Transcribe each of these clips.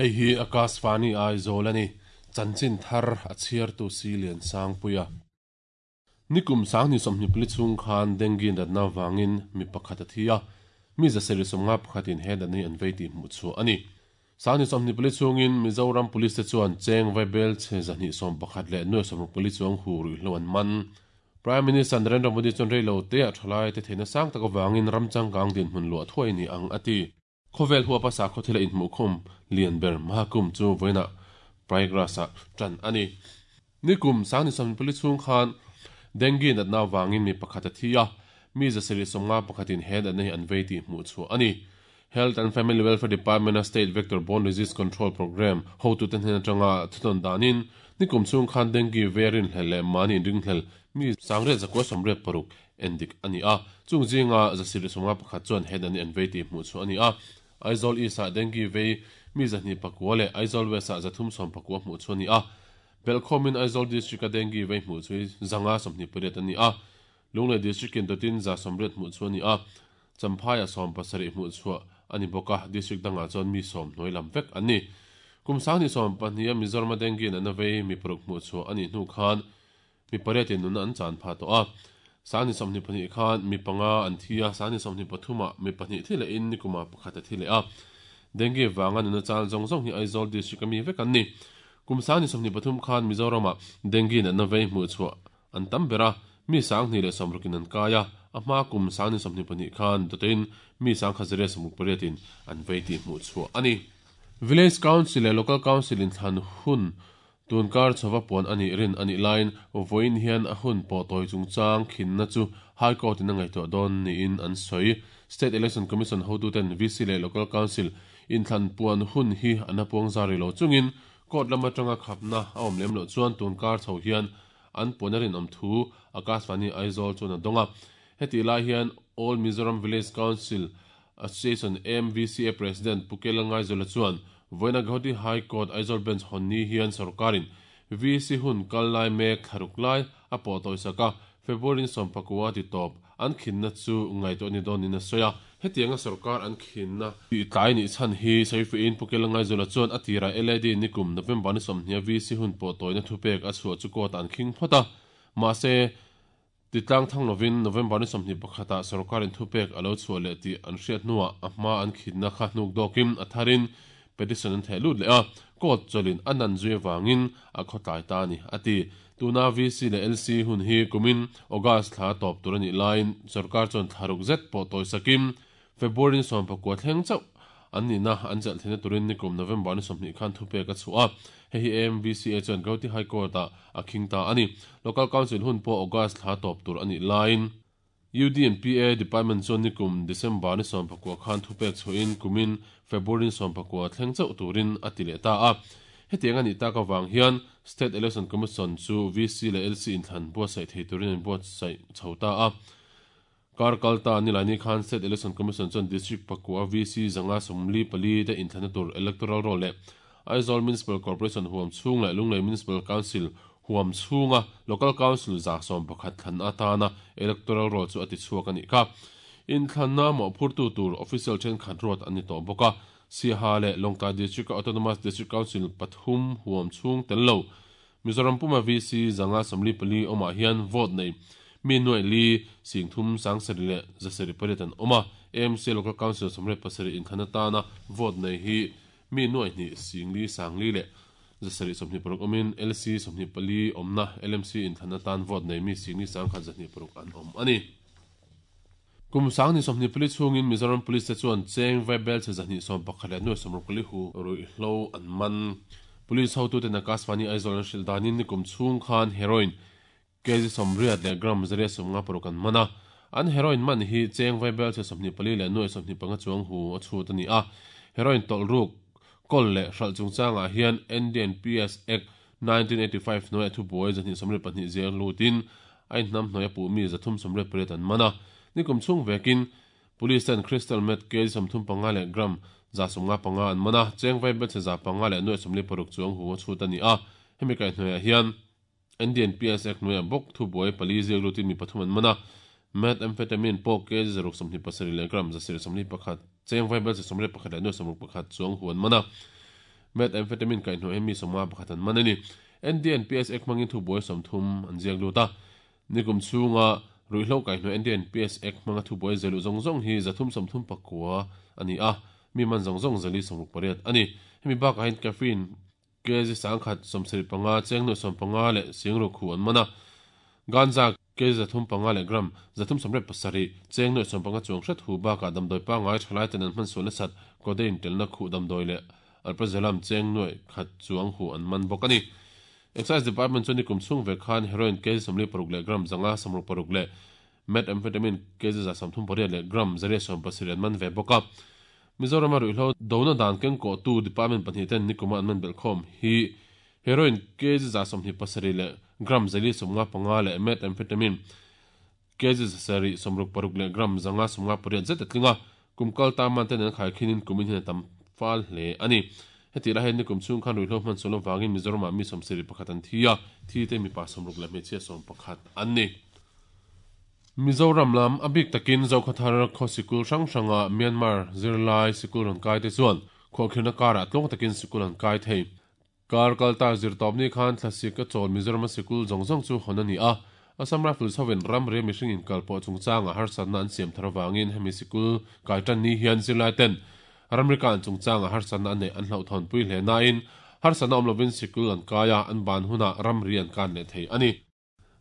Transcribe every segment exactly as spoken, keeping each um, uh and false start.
Hei hi Akashvani Aizawl a ni. Chanchin thar a chhiartu si lian Sangpuia. Nikum sang ni sawmhnih pali chhung khan dengue natna vangin mi pakhat a thi a, mi zasarih sawmnga pakhatin he natna hi an vei tih hmuh chhuah a ni. Sang ni sawmhnih pali chhungin Mizoram Police te chuan cheng vaibel chhe zahnih sawm pakhat leh nuai sawmruk pali chuang hu ruihhlo an man. Prime Minister Narendra Modi chuan reilo te a thalai te theihna sang tak avangin ram changkang dinhmun luah thuai ni ang a ti. Khawvel huapa sakhaw thila inhmuhkhawm lian ber Mahakumbh chu vawiinah Prayagraj-ah tan a ni. Nikum sang ni sawmhnih pali chhung khan dengue natna avangin mi pakhat a thi a, mi zasarih sawmnga pakhatin he natna hi an vei tih hmuh chhuah a ni. Health and Family Welfare Department-a State Vector Borne Disease Control Programme hotute hnen atanga thunawn danin nikum chhung khan dengue vei rinhlel leh mahni inringhlel mi sangriat zakua sawmriat paruk endik a ni a, chung zinga zasarih sawmnga pakhat chuan he natna hi an vei tih hmuh chhuah a ni a. Aizawl East-ah dengue vei mi zahnih pakua leh Aizawl West-ah zathum sawm pakua hmuh chhuah a ni a. Belkhawmin Aizawl District-a dengue vei hmuh chu zanga sawmhnih pariat a ni a, Lunglei District-in dawtin za sawmriat hmuh chhuah a ni a, Champhaiah sawm pasarih hmuh chhuah a ni bawk a, district dangah chuan mi sawm hnuai lam vek an ni. Kum sanghnih sawm pahniha Mizorama dengue natna vei mi paruk hmuh chhuah a nih hnu khan mi pariatin nunna an chan phah tawh a. Sanghnih sawmhnih pahnih khan mi panga an thi a, sanghnih sawmhnih pathumah mi pahnih thi lehin nikumah pakhat a thi leh a. Dengue vanga nunna chan zawng zawng hi Aizawl district-a mi vek an ni. Kum sanghnih sawmhnih pathum khan Mizoramah dengue natna vei hmuh chhuah an tam ber a, mi sanghnih leh sawmrukin an kai a, a hma kum sanghnih sawmhnih pahnih khan dawtin mi sangkhat zariat sawmruk pariatin an vei tih hmuh chhuah a ni. Village Council leh Local Council inthlan hun tunkar chhova puan a nih rin a nih laiin vawiin hian a hun pawh tawi chungchang khinna chu High Court-in a ngaihtuah dawn niin an sawi. State Election Commission hotuten V C leh Local Council inthlan puan hun hi an a puang zar rih lo chungin court lam atanga khapna a awm lem loh chuan tunkar chho hian an puan a rinawm thu Akashvani Aizawl chuan a dawng a. Hetih lai hian All Mizoram Village Council Association A M V C A President Pu Kela Ngaizawla chuan vawiina Guwahati High Court Aizawl Bench hawn ni hian sorkarin V C hun kal lai mek thlaruk lai a pawh tawisak a, February sawm pakua ti tawp an khinna chu ngaihtuah ni dawnin a sawi a. Hetianga sorkar an khinna tih tlai nih chhan hi sawifiahin Pu Kela Ngaizawla chuan a tirah L A D nikum November ni sawmhnih a V C hun pawh tawina thupek a chhuah chu court ah an khing phawt a, mahse titlang thang lovin November ni sawmhnih pakhatah sorkarin thupek a lo chhuah leh tih an hriat hnuah a hma an khinna kha hnuk dawkin a tharin petition an theh lut leh a, court chawlhin a nan zui avangin a khawtlai ta a ni a ti. Tuna V C leh L C hun hi kumin August thla tawp tur a nih laiin sorkar chuan thlaruk zet pawh tawisakin February ni sawm pakua thleng chauh an nihna an chelh theihna turin nikum November ni sawmhnih khan thupek a chhuah a, hei hi A M V C A chuan Guwahati High Court-ah a khing ta a ni. Local Council hun pawh August thla tawp tur a nih laiin U D and P A Department chuan nikum December ni sawm pakua khan thupek chhuahin kumin February ni sawm pakua thleng chauh turin a ti leh ta a. Hetiang a nih tak avang hian State Election Commission chu V C leh L C inthlan buatsaih thei turin an buatsaih chho ta a. Kar kalta nilai ni khan State Election Commission chuan District pakua V C zanga sawmli pali te inthlanna tur electoral roll leh Aizawl Municipal Corporation huam chhung leh Lunglei Municipal Council huam chhunga Local Council za sawm pakhat thlan atana electoral roll chu a ti chhuak a nih kha. Inthlanna mawhphurtu tur official thenkhat ruat an ni tawh bawk a, Siaha leh Lawngtlai District Autonomous District Council pathum huam chhung tel lo Mizoram puma V C zanga sawmli pali awmah hian vote nei mi nuai li singthum sangsarih leh zasarih pariat an awm a, A M C Local Council sawmriat pasarih inthlan atana vote nei hi mi nuai hnih singli sangli leh zasarih sawmhnih paruk awmin L C sawmhnih pali awmna L M C inthlan atan vote nei mi singli sangkhat zahnih paruk an awm a ni. Kum sanghnih sawmhnih pali chhungin Mizoram Police te chuan cheng vaibel chhe zahnih sawm pakhat leh nuai sawmruk pali hu ruihhlo an man. Police hotuten Akashvani Aizawl an hrilh danin nikum chhung khan heroin kg sawmriat leh gram zariat sawmnga paruk an man a. An heroin man hi cheng vaibel chhe sawmhnih pali leh nuai sawmhnih panga chuang hu a chhut a ni a. Heroin tawlh ruk kawl leh hralh chungchangah hian N D N P S Act nineteen eighty-five hnuai thubuai zahnih sawmriat pahnih ziang lutin a inhnam hnuai a puh mi zathum sawmriat pariat an man a. Nikum chhung vekin police ten crystal meth kg sawmthum panga leh gram za sawmnga panga an man a, cheng vaibel chhe za panga leh nuai sawmli paruk chuang hu a chhut a ni a. Hemi kaihhnuaiah hian N D N P S Act hnuaiah bawk thubuai pali ziak lutin mi pathum an man a, methamphetamine pawh kg zaruk sawmhnih pasarih leh gram zasarih sawmli pakhat cheng vaibel chhe sawmriat pakhat leh nuai sawmruk pakhat chuang hu an man a. Methamphetamine kai hnuai mi sawmnga pakhat an man a ni. N D N P S Act hmangin thubuai sawmthum an ziak lut a. Nikum chhunga ruihhlo kai hnuai N D N P S Act hmanga thubuai zelu zawng zawng hi zathum sawmthum pakua a ni a, mi man zawng zawng zali sawmruk pariat a ni. Hemi bakah hian caffeine kg sangkhat sawmsarih panga chengnu sawmpanga leh singru khu an man a. Ganja kg zathum panga leh gram zathum sawmriat pasarih chengnu sawmpanga chuang hret hu bakah damdawi pangai thalai ten an hman sual nasat codeine telna khu damdawi leh alprazolam chengnu khat chuang hu an man bawk a ni. Excise Department chuan nikum chhung ve khan heroin kg sawmli paruk leh gram zanga sawmruk paruk leh methamphetamine kg za sawmthum pariat leh gram zariat sawm pasarih an man ve bawk a. Mizoram a ruihhlo dona dan kengkaw tu department pahnih ten nikuma an man belhkhawm hi heroin kg za sawmhnih pasarih leh gram zali sawmnga panga leh methamphetamine kg zasarih sawmruk paruk leh gram zanga sawmnga pariat zet a tling a. Kumkal ta man ten an khai khinin kumin hian a tam fal hle a ni. Heti lai hian nikum chhung khan ruihhlo hman sual avangin Mizoramah mi sawmsarih pakhat an thi a, thi te mipa sawmruk leh hmeichhia sawm pakhat an ni. Mizoram lam a bik takin Zokhathar khaw sikul hrang hranga Myanmar zirlai sikul rawn kai te chuan khuahkhirhna karah tlawng takin sikul an kai thei. Kar kalta zirtawpni khan thlasik a chawl Mizoram sikul zawng zawng chu hawn a ni a. Assam Rifles hovin ram ria mihring inkalpawh chungchanga harsatna an siam thar avangin hemi sikul kai tan ni hian zirlai ten ramri kan chungchanga harsatna an nei an hlauhthawnpui hle nain harsatna awm lovin sikul an kai a, an ban hunah ramri an kan leh thei a ni.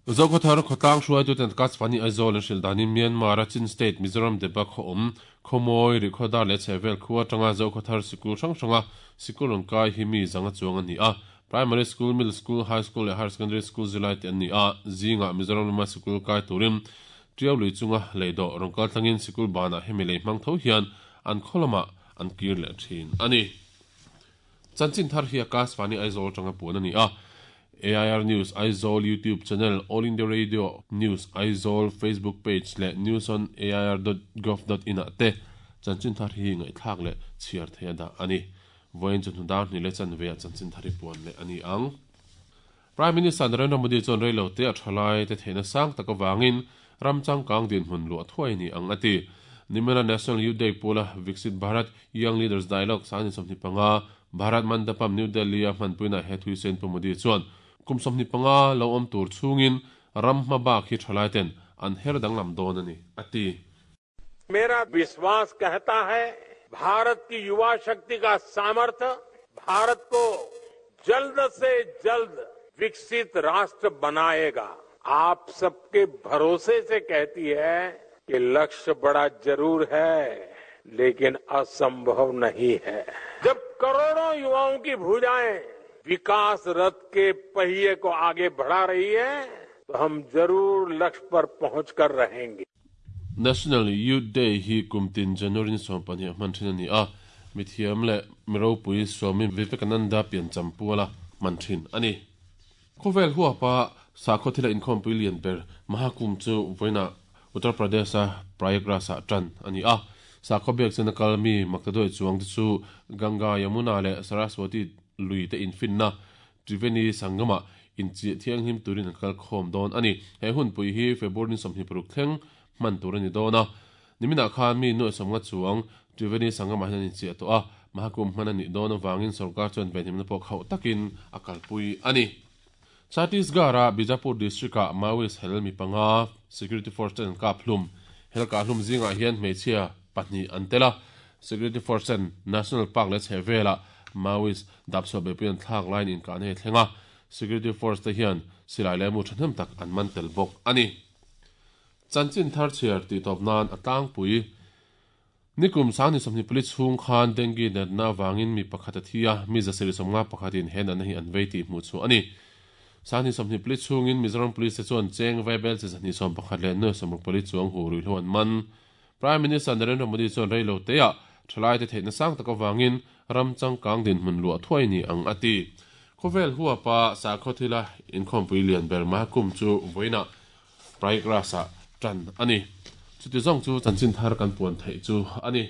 Zokhathar khawtlang hruaitu ten Akashvani Aizawl an hrilh danin Myanmar a Chin State Mizoram deba khaw awm khawmawi rihkhawdar leh chhehvel khu atanga Zokhathar sikul hrang hranga sikul rawn kai hi mi zanga chuang a ni a. Primary school, middle school, high school leh higher secondary school zirlai te an ni a. Zingah Mizoram lama sikul kai turin Tiau lui chunga leihdawh rawn kal tlangin sikul banah hemi lei hmang tho hian an khaw lamah an kir leh thin a ni. Chanchin thar hi Akashvani Aizawl atanga puan a ni a. A I R News Aizawl YouTube channel, All India Radio News Aizawl Facebook page leh news on A I R dot gov dot in ah te chanchin thar hi ngaihthlak leh chhiar thei a dah a ni. Vawiin chu hnudar hnih leh chanve ah chanchin thar hi puan leh a ni ang. Prime Minister Narendra Modi chuan reilo te a thalai te theihna sang tak avangin ram changkang dinhmun luah thuai ni ang a ti. Nimela National Youth Day pula Viksit Bharat Young Leaders Dialogue sangni sawmhnih panga Bharat Mandapam New Delhi a hmanpuina he Thuisen Pu Modi chuan kum sawmhnih panga lo awm tur chhungin ram hma bak hi thalai ten an her danglam dawn a ni a ti. मेरा विश्वास कहता है भारत की युवा शक्ति का सामर्थ्य भारत को जल्द से जल्द विकसित राष्ट्र बनाएगा। आप सबके भरोसे से कहती है कि लक्ष्य बड़ा जरूर है लेकिन असंभव नहीं है। जब करोड़ों युवाओं की भुजाएं विकास रथ के पहिए को आगे बढ़ा रही है तो हम जरूर लक्ष्य पर पहुंचकर रहेंगे। National Youth Day hi kumtin January ni sawmpahnih hman thin a ni a. Mithiam leh Miropui Swami Vivekananda pian champuala man thin a ni. Khawvel huapa sakhaw thila inkhawmpui lian ber Mahakumbh chu vawiinah Uttar Pradesh a Prayagraj ah tan a ni a. Sakhaw biak chuan a kal mi Maktadoi chuang te chu Ganga Yamuna leh Saraswati lui te infinna Triveni Sangama inchi thianghlim turin an kal khawm dawn a ni. He hunpui hi February ni sawmhnih paruk thleng man tur ani dawn a. Nimina khan mi nuai sawmnga chuang Triveni Sangama hian an inchi a tawh a. Mahakumbh hman a nih dawn avangin sarkar chuan venhimna pawh khauh takin a kalpui a ni. Chhattisgarh a Bijapur district ah Maoist hel mi panga security force ten an kap hlum. Hel ka hlum zingah hian hmeichhia pahnih an tel a. Security force ten National Park leh chhehvelah Maoist dapchhuah beipui an thlak lain inkahna hi thleng a. Security force te hian silai leh mu thahnem tak an man tel bawk a ni. Chanchin thar chhiar tih tawp nan a tlangpui nikum sangni sawmhnih pali chhung khan dengue natna avangin mi pakhat a thi a, mi zasarih sawmnga pakhatin he natna hi an vei tih hmuh chu a ni. Sangni sawmhnih pali chhungin Mizoram Police te chuan cheng vaibel chi zahnih sawm pakhat leh nuai sawmruk pali chuang hu ruihhlo an man. Prime Minister Narendra Modi chuan reilo te ah thalai te theihna sang tak avangin ram changkang dinhmun luah thuai ni ang a ti. Khawvel huapa sakhaw thila inkhawmpui lian ber Mahakumbh chu vawiinah Prayagraj ah tan a ni. Chuti zawng chu chanchin thar kan puan theih chu a ni.